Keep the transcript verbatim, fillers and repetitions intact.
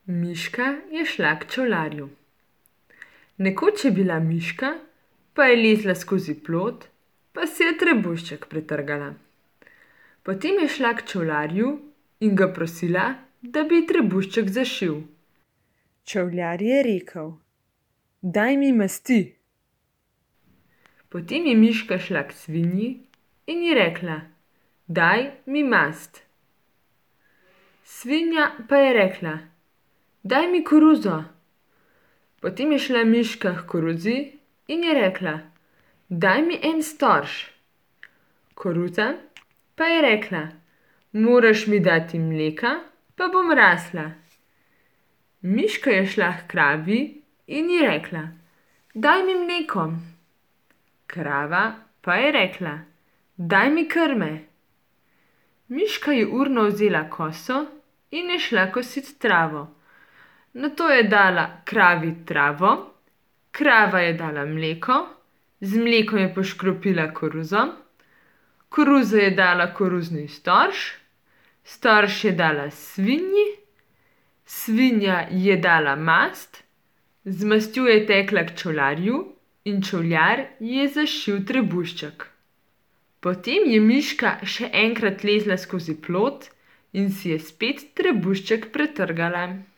Miška je šla k čevljarju. Nekoč je bila miška, pa je lezla skozi plot, pa si je trebušček pretrgala. Potem je šla k čevljarju in ga prosila, da bi ji trebušček zašil. Čevljar je rekel: "Daj mi masti." Potem je miška šla k svinji in ji rekla: "Daj mi mast." Svinja pa je rekla: "Daj mi koruzo." Potem je šla miška h koruzi in je rekla: "Daj mi en storž." Koruza pa je rekla: "Moraš mi dati mleka, pa bom rasla." Miška je šla h kravi in ji rekla: "Daj mi mleko." Krava pa je rekla: "Daj mi krme." Miška je urno vzela koso in je šla kosit travo. Nato je dala kravi travo, krava je dala mleko, z mlekom je poškropila koruzo, koruza je dala koruzni storž, storž je dala svinji, svinja je dala mast, z mastjo je tekla k čevljarju in čevljar ji je zašil trebušček. Potem je miška še enkrat lezla skozi plot in si je spet trebušček pretrgala.